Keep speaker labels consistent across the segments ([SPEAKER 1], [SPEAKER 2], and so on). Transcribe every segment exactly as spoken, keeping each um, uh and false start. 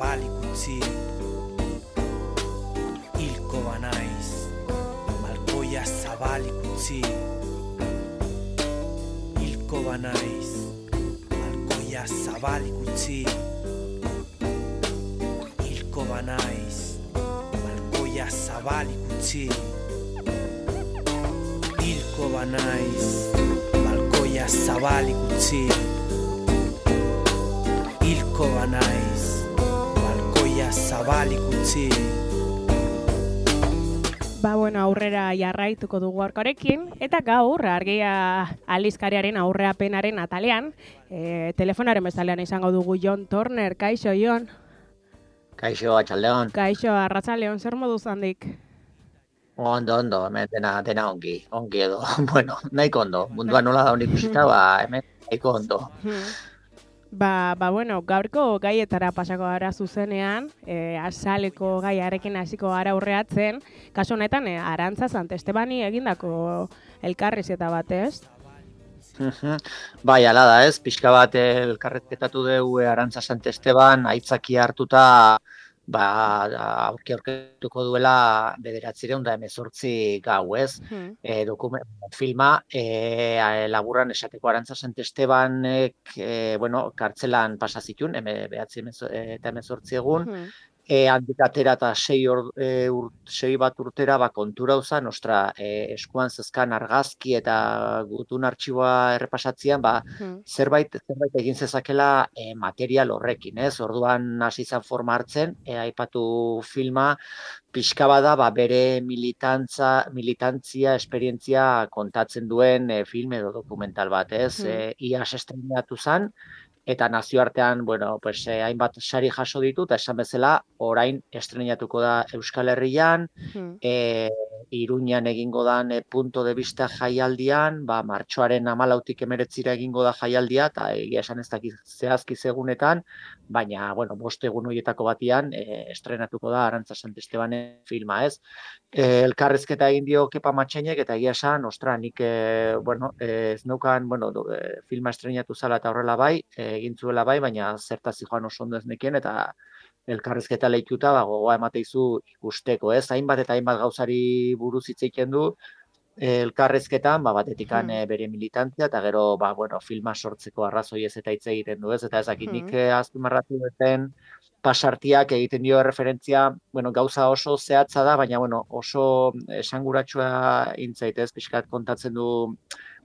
[SPEAKER 1] zabalik utzi, hilko banaiz, balkoia zabalik utzi, hilko banaiz, balkoia zabalik utzi, hilko banaiz, balkoia zabalik utzi, hilko banaiz, balkoia zabalik utzi, hilko banaiz, balkoia zabalik utzi.
[SPEAKER 2] Ba, bueno, aurrera jarraituko dugu gaurkoarekin, eta gaur Argia aldizkariaren aurreapenaren atalean, e, telefonaren bezalean izango dugu Jon Turner. Kaixo, Jon?
[SPEAKER 3] Kaixo, atxaldeon.
[SPEAKER 2] Kaixo, arratsaldeon, zer moduz handik?
[SPEAKER 3] Ondo, ondo, hemen dena, dena ongi, ongi edo, bueno, nahiko ondo, mundua nola da honik ikusita, ba, hemen nahiko ondo.
[SPEAKER 2] Ba, ba, bueno, gaurko gaietara pasako gara zuzenean, e, azaleko gaiarekin hasiko gara aurreatzen, kasu honetan, e, Arantza Santestebani egindako elkarrizketa bat, ez?
[SPEAKER 3] Bai, ala da, ez, pixka bat elkarrizketatu dugu Arantza Santesteban, aitzakia hartuta, ba, aurki aurketuko duela bederatzireun da hemezortzi gau, ez?
[SPEAKER 2] Hmm.
[SPEAKER 3] E, dokument, filma, e, laburran esateko Arantza Santestebanek, e, bueno, kartzelan pasa zituen, eme, behatzi eta hemezortzi egun,
[SPEAKER 2] Hmm.
[SPEAKER 3] E, handik atera eta sei, or, e, ur, sei bat urtera ba, kontura uzan, ostra, e, eskuan zezkan argazki eta gutun artxiboa errepasatzean, ba,
[SPEAKER 2] Hmm.
[SPEAKER 3] zerbait, zerbait egin zezakela e, material horrekin, ez? Orduan hasi izan forma hartzen, e, aipatu filma, pixka bada ba, bere militantza, militantzia, esperientzia kontatzen duen e, film edo dokumental bat, ez?
[SPEAKER 2] Hmm.
[SPEAKER 3] E, iaz estrenatu zen, eta nazioartean, bueno, pues, eh, hainbat sari jaso ditu, eta esan bezala, orain estrenatuko da Euskal Herrian,
[SPEAKER 2] Hmm.
[SPEAKER 3] e, Iruñan egingo dan e, punto de vista jaialdian, ba, martxoaren hamalautik emeretzira egingo da jaialdia, eta egia esan ez dakit zehazki segunetan, baina, bueno, bost egun horietako batian e, estrenatuko da Arantza Santestebanen filma, ez? E, elkarrezketa egin dio Kepa Matxainek, eta egia esan, ostra, nik, e, bueno, e, ez neukan, bueno, do, e, filma estrenatu zala eta horrela bai, e, egin zuela bai, baina zertaz joan oso ondo ez nekien, eta elkarrezketa lehituta, ba, gogoa emateizu ikusteko, ez? Hainbat eta hainbat gauzari buruz hitz egiten du, e, elkarrezketan, ba, batetikan
[SPEAKER 2] Hmm.
[SPEAKER 3] e, bere militantzia, eta gero, ba, bueno, filma sortzeko arrazoi ez eta hitz egiten du, ez? Eta ezakit nik
[SPEAKER 2] Hmm.
[SPEAKER 3] e, azpimarratu duten pasartiak egiten dio referentzia, bueno, gauza oso zehatza da, baina, bueno, oso esanguratsua intzaitez, pixkat kontatzen du,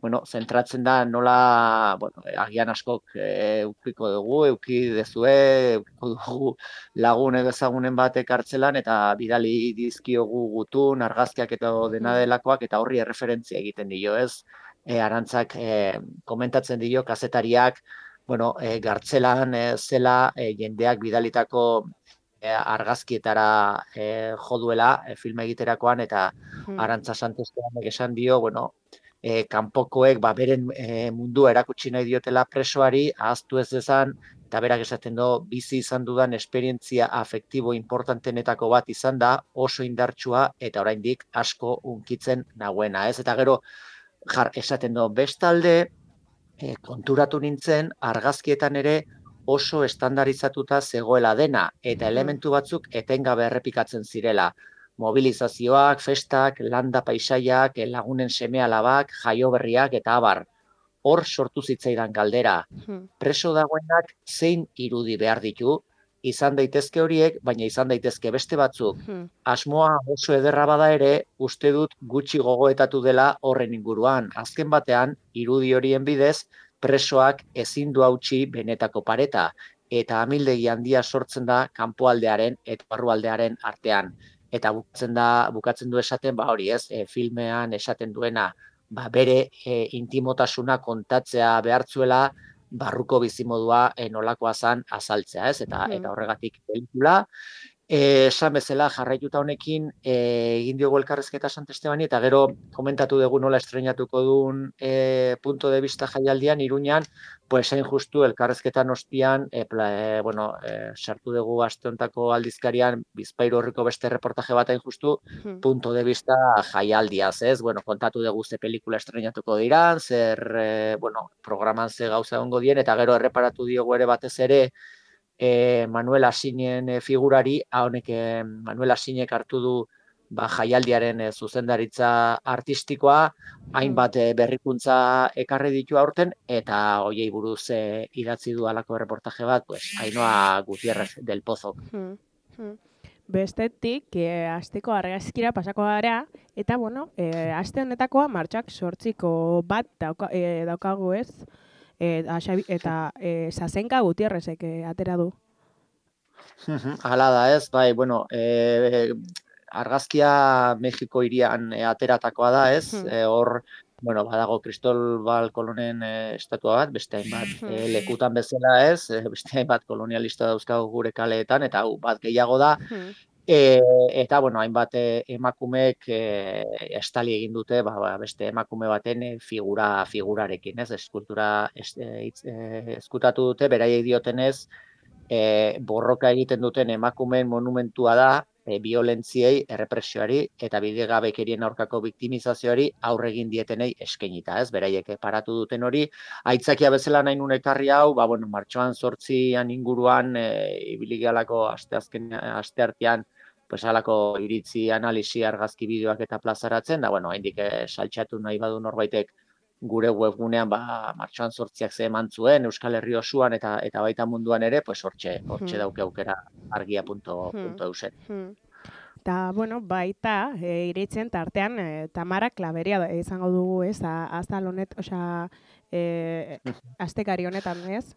[SPEAKER 3] bueno, zentratzen da nola, bueno, agian askok e, eukiko dugu, euki dezue, eukiko dugu lagun edo ezagunen batek hartzelan, eta bidali dizkiogu gutun, argazkiak eta dena
[SPEAKER 2] Hmm.
[SPEAKER 3] delakoak, eta horri erreferentzia egiten dio, ez? E, Arantzak e, komentatzen dio, kazetariak, bueno, e, gartzelan e, zela e, jendeak bidalitako e, argazkietara e, jo duela e, filma egiterakoan, eta
[SPEAKER 2] Hmm.
[SPEAKER 3] Arantza Santestebanek esan dio, bueno, e, kanpokoek ba, beren e, mundua erakutsi nahi diotela presoari, ahaztu ez dezan, eta berak esaten du, bizi izan dudan esperientzia afektibo importantenetako bat izan da, oso indartsua, eta oraindik asko hunkitzen nagoena, ez? Eta gero, jar, esaten du, bestalde, e, konturatu nintzen, argazkietan ere oso estandarizatuta zegoela dena, eta elementu batzuk etengabe errepikatzen zirela. Mobilizazioak, festak, landa paisaiak, lagunen seme-alabak, jaioberriak eta abar. Hor sortu zitzaidan galdera.
[SPEAKER 2] Hmm.
[SPEAKER 3] Preso dagoenak zein irudi behar ditu, izan daitezke horiek, baina izan daitezke beste batzuk.
[SPEAKER 2] Hmm.
[SPEAKER 3] Asmoa oso ederra bada ere, uste dut gutxi gogoetatu dela horren inguruan. Azken batean, irudi horien bidez, presoak ezin du hautsi benetako pareta, eta amildegi handia sortzen da kanpoaldearen eta barrualdearen artean. Eta bukatzen da, bukatzen du esaten, ba hori ez, e, filmean esaten duena, ba bere e, intimotasuna kontatzea behartzuela, barruko bizimodua e, nolakoa zan azaltzea, ez? Eta,
[SPEAKER 2] Hmm.
[SPEAKER 3] eta horregatik pelikula. E, esan bezala jarraituta honekin e, egin diogu elkarrezketa Santestebani, eta gero komentatu dugu nola estrenatuko duen e, punto de vista jaialdian, Iruñan, pues hain justu elkarrezketan ostian, e, pla, e, bueno, e, sartu dugu aste hontako aldizkarian, Bizpahiru horriko beste reportaje bat hain justu,
[SPEAKER 2] Hmm.
[SPEAKER 3] punto de vista jaialdiaz, ez? Bueno, kontatu dugu ze pelikula estrenatuko diran, zer, e, bueno, programan ze gauza ongo dien, eta gero erreparatu diogu ere batez ere, e, Manuel Asinen e, figurari, honek e, Manuel Asinek hartu du ba, jaialdiaren e, zuzendaritza artistikoa, hainbat e, berrikuntza ekarri ditu aurten, eta hoiei buruz e, idatzi du halako reportaje bat, pues, Ainhoa Gutierrez del Pozok.
[SPEAKER 2] Hmm, hmm. Bestetik, e, asteko argazkira pasako gara, eta, bueno, e, aste honetakoa martxak sortziko bat dauka, e, daukagu ez, e, Xabi, eta e, Sasenka Gutierrezek e, atera du.
[SPEAKER 3] Hala da ez, bai, bueno, e, argazkia Mexiko hirian e, ateratakoa da ez, e, hor, bueno, badago Kristobal Kolonen e, estatua bat, beste hainbat e, lekutan bezala ez, e, beste hainbat kolonialista dauzkagu gure kaleetan, eta hau bat gehiago da, e, eta, bueno, hainbat e, emakumeek e, estali egin dute, ba, ba, beste emakume baten e, figura figurarekin, ez, eskultura ez, e, e, eskutatu dute, beraiek diotenez, E, borroka egiten duten emakumeen monumentua da e, violentziei, errepresioari eta bidegabekerien aurkako biktimizazioari aurre egin dietenei eskainita, ez? Beraiek paratu duten hori, aitzakia bezala nahi nun ekarri hau, ba bueno, martxoan zortzian inguruan e, ibili galako asteazken asteartean pues halako iritzi, analisi, argazki bideoak eta plazaratzen, da bueno, haindik e, saltxatu nahi badu norbaitek gure webgunean ba martxoan zortziak ze eman zuen Euskal Herri osoan eta eta baita munduan ere, pues hortxe hortxe dauke aukera argia puntu eu zen.
[SPEAKER 2] Eta, bueno, baita, e, iritzen tartean, e, Tamara Klaberia izango dugu, ez, azal honet, osea, e, astekari honetan, ez?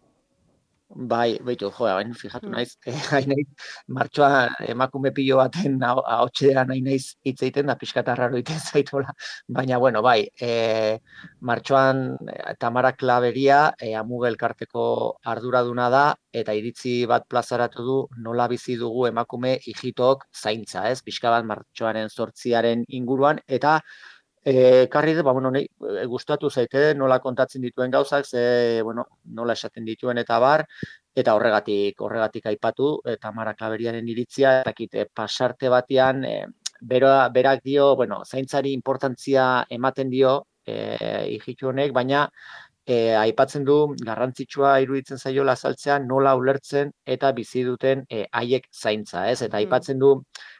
[SPEAKER 3] Bai, baitu, jo, hain fijatu naiz, hain naiz, martxoan emakume pilo baten ahotsean hain naiz hitz egiten da pixka eta raro egiten zaitola, baina, bueno, bai, e, martxoan Tamara Klaberia e, Amuge elkarteko arduraduna da, eta iritzi bat plazaratu du nola bizi dugu emakume hijitok zaintza, ez, pixka bat martxoaren zortziaren inguruan, eta E, karri dut, ba, bueno, nahi, e, gustatu zaite, nola kontatzen dituen gauzak, ze, bueno, nola esaten dituen eta bar, eta horregatik, horregatik aipatu, eta Tamara Klaberiaren iritzia, eta kite, pasarte batean, e, bera, berak dio, bueno, zaintzari importantzia ematen dio, e, hijitu honek, baina, E, aipatzen du garrantzitsua iruditzen zaiola azaltzea nola ulertzen eta bizi duten e, haiek zaintza, ez? Eta aipatzen du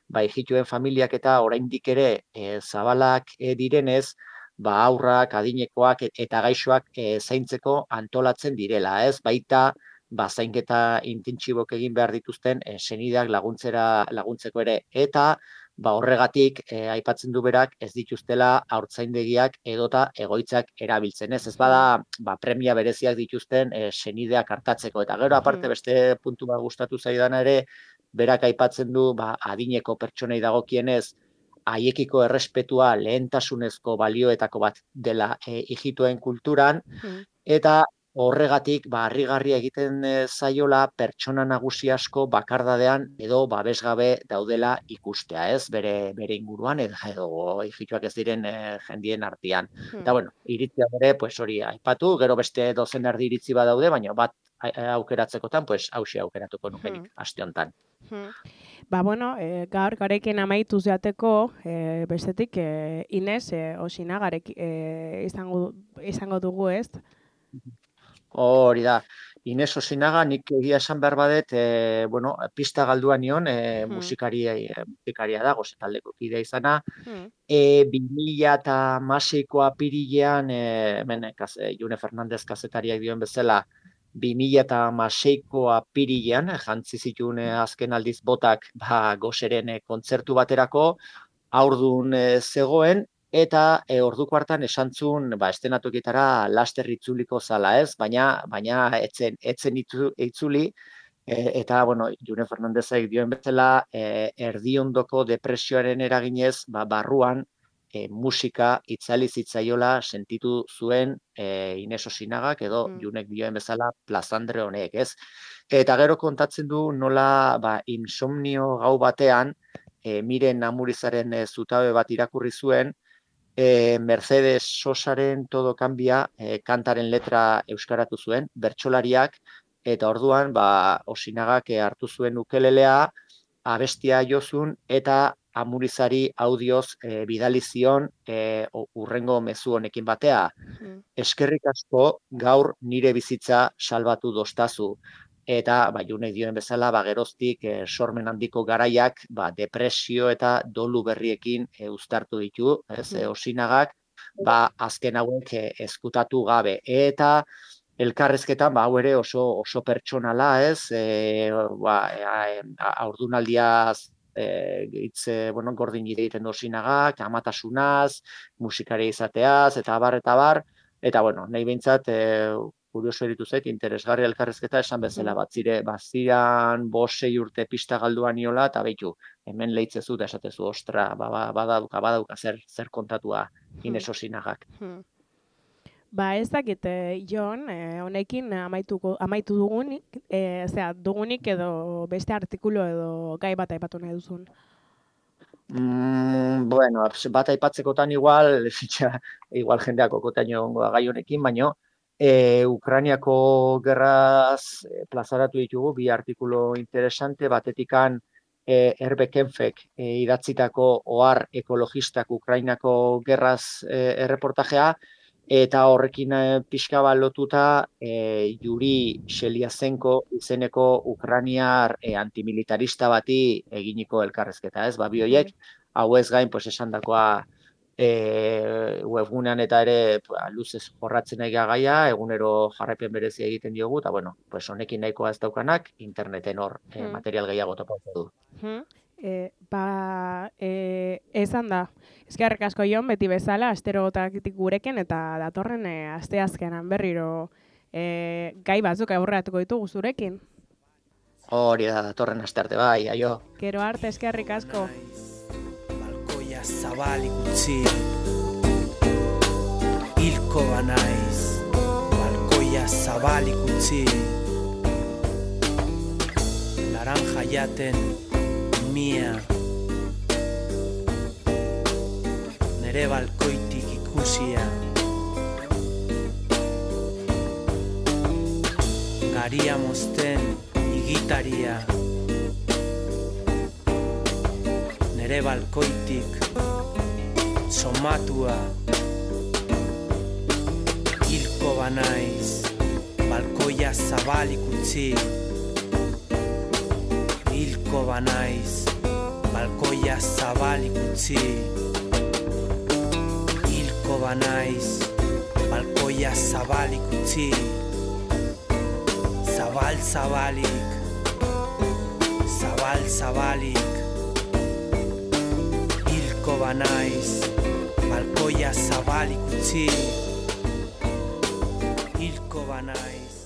[SPEAKER 3] ba hijituen familiak eta oraindik ere e, zabalak e, direnez, ba aurrak, adinekoak eta gaixoak e, zaintzeko antolatzen direla, ez? Baita ba zainketa intentsibok egin behar dituzten e, senideak laguntzera laguntzeko ere eta ba horregatik e, aipatzen du berak ez dituztela haurtzaindegiak edota egoitzak erabiltzen, ez? Ez bada ba, premia bereziak dituzten e, senideak hartatzeko eta gero aparte beste puntu bat gustatu zaidana ere berak aipatzen du ba adineko pertsonei dagokienez haiekiko errespetua lehentasunezko balioetako bat dela e, hijituen kulturan eta horregatik, ba, harrigarria egiten zaiola pertsona nagusi asko bakardadean edo babesgabe daudela ikustea, ez? Bere, bere inguruan edo, edo hijituak ez diren e, jendien artean. Hmm. Eta, bueno, iritzia bere, pues hori aipatu, gero beste dozen erdi iritzi badaude, baina bat aukeratzekotan, pues hauxe aukeratuko nukenik, hmm. aste honetan.
[SPEAKER 2] Hmm. Ba, bueno, e, gaur garekin amaitu zeateko, e, bestetik, e, Ines, e, Osinagarek e, izango, izango dugu, ez?
[SPEAKER 3] Hori da, Ines Osinaga, nik egia esan behar badet, e, bueno, pista galdua nion, e, hmm. musikaria, e, musikaria da, goze taldeko kidea izana, hmm. e, bi mila eta hamasei apirilean, e, hemen, kaze, June Fernandez kazetariak dioen bezala, bi mila eta hamaseiko apirilean, jantzi zituen azken aldiz botak ba, gozeren kontzertu baterako, aurdun e, zegoen, eta e, orduko hartan esantzun ba, estenatoketara laster itzuliko zala ez, baina baina etzen, etzen itzuli, e, eta, bueno, June Fernandezek dioen bezala, e, erdiondoko depresioaren eraginez, ba, barruan, e, musika itzali zitzaiola sentitu zuen e, Ines Osinagak edo mm. Junek dioen bezala plazandre honek, ez? Eta gero kontatzen du nola ba, insomnio gau batean, e, Miren Amurizaren e, zutabe bat irakurri zuen, E, Mercedes Sosaren Todo Cambia e, kantaren letra euskaratu zuen, bertsolariak, eta orduan ba, Osinagak e, hartu zuen ukelelea, abestia jozun, eta Amurizari audioz e, bidali zion e, urrengo mezu honekin batea. Mm. Eskerrik asko gaur nire bizitza salbatu dostazu. eta ba Junek dioen bezala ba geroztik e, sormen handiko garaiak ba depresio eta dolu berriekin e, uztartu ditu, ez? E, Osinagak ba azken hauek e, ezkutatu gabe eta elkarrezketan ba hau ere oso oso pertsonala, ez? E, ba haurdunaldiaz eh hitz bueno, gordin egiten du Osinagak, amatasunaz, musikaria izateaz eta abar eta bar eta bueno, nahi behintzat eh kurioso eritu zait, interesgarri elkarrezketa esan bezala, batzire, baziran bosei urte pista galduan niola, eta behitu, hemen leitzezu da esatezu, ostra, ba, ba, badauka, badauka, zer, zer kontatua Ines Osinagak.
[SPEAKER 2] Ba, ez dakit, Jon, honekin amaituko, amaitu dugunik, e, zera, dugunik edo beste artikulu edo gai bat aipatu nahi duzun.
[SPEAKER 3] Mm, bueno, bat aipatzekotan igual, igual jendeak okotaino ongoa gai honekin, baino, E, Ukrainiako gerraz e, plazaratu ditugu bi artikulu interesante, batetikan e, Herbe Kenfek e, idatzitako ohar ekologistak Ukrainako gerraz e, erreportajea, eta horrekin e, pixka bat lotuta e, Yuri Sheliazenko izeneko ukrainiar e, antimilitarista bati eginiko elkarrezketa, ez? Ba, bi horiek, hau ez gain, pues, esandakoa E, webgunean eta ere ba, luzez jorratzen nahi gaia, egunero jarraipen berezia egiten diogu, eta bueno, pues honekin nahikoa ez daukanak, interneten hor hmm. e, material gehiago topatu du.
[SPEAKER 2] Hmm. E, ba, e, esan da, eskerrik asko Jon, beti bezala, asterogotakitik gurekin, eta datorren e, asteazkenan berriro e, gai batzuk aurreratuko ditugu zurekin.
[SPEAKER 3] Hori da, datorren astearte bai, aio.
[SPEAKER 2] Gero arte, eskerrik asko.
[SPEAKER 1] Zabalik utzi, hilko banaiz, balkoia zabalik utzi, naranja jaten mia, nere balkoitik ikusia, garia mozten igitaria, nere balkoitik somatua, hilko banaiz, balkoia zabalik utzi, hilko banaiz, balkoia zabalik utzi, hilko banaiz, balkoia zabalik utzi, zabal zabalik, zabal zabalik, hilko banaiz, balkoia zabalik utzi, hilko banaiz.